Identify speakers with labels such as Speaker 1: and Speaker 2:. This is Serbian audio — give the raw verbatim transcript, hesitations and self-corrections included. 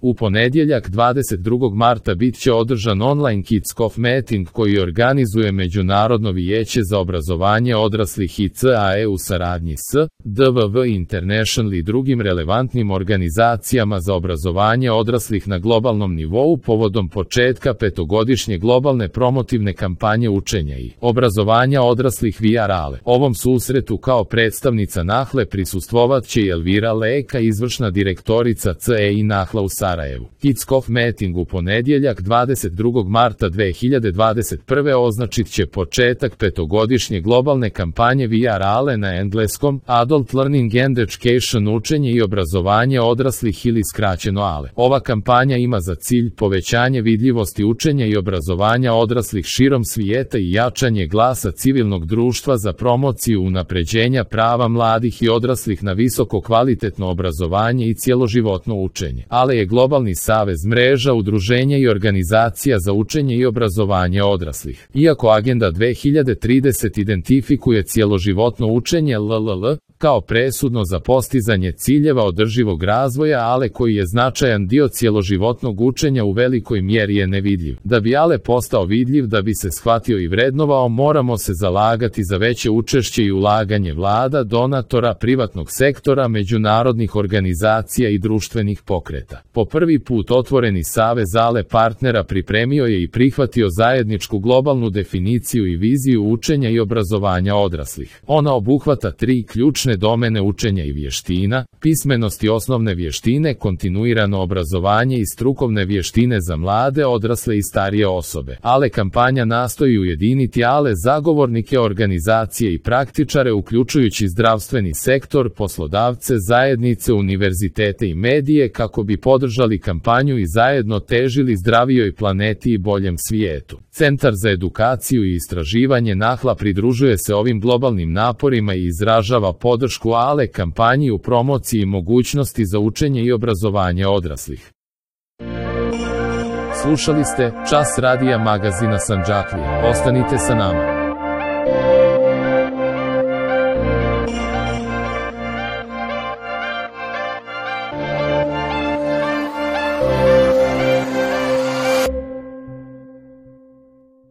Speaker 1: U ponedjeljak dvadeset drugog marta bit će održan online kick-off meeting koji organizuje Međunarodno vijeće za obrazovanje odraslih i C A E u saradnji s D V V International i drugim relevantnim organizacijama za obrazovanje odraslih na globalnom nivou povodom početka petogodišnje globalne promotivne kampanje učenja i obrazovanja odraslih via rale. Ovom susretu kao predstavnica Nahle prisustvovat će i Elvira Leka, izvršna direktorica C E I Nahla u Sarajevu. Kick-off meeting u ponedjeljak dvadeset drugog marta dve hiljade dvadeset prve označit će početak petogodišnje globalne kampanje via rale na engleskom Adult Learning and Education, učenje i obrazovanje odraslih ili skraćeno A L E. Ova kampanja ima za cilj povećanje vidljivosti učenja i obrazovanja odraslih širom svijeta i jačanje glasa civilnog društva za promociju unapređenja prava mladih i odraslih na visoko kvalitetno obrazovanje i cjeloživotno učenje. A L E je globalni savez mreža udruženja i organizacija za učenje i obrazovanje odraslih. Iako Agenda dve hiljade trideset identifikuje cjeloživotno učenje L L L kao presudno za postizanje ciljeva održivog razvoja, A L E koji je značajan dio cjeloživotnog učenja u velikoj mjeri je nevidljiv. Da bi A L E postao vidljiv, da bi se shvatio i vrednovao, moramo se zalagati za veće učešće i ulaganje vlada, donatora, privatnog sektora, međunarodnih organizacija i društvenih pokreta. Po prvi put otvoreni savez A L E partnera pripremio je i prihvatio zajedničku globalnu definiciju i viziju učenja i obrazovanja odraslih. Ona obuhvata tri ključne domene učenja i vještina: pismenost i osnovne vještine, kontinuirano obrazovanje i strukovne vještine za mlade, odrasle i starije osobe. A L E kampanja nastoji ujediniti A L E zagovornike, organizacije i praktičare, uključujući zdravstveni sektor, poslodavce, zajednice, univerzitete i medije, kako bi podržali kampanju i zajedno težili zdravijoj planeti i boljem svijetu. Centar za edukaciju i istraživanje Nahla pridružuje se ovim globalnim naporima i izražava podršku A L E kampanji u promociji mogućnosti za učenje i obrazovanje odraslih. Slušali ste Čas radija magazina Sandžaklija. Ostanite sa nama.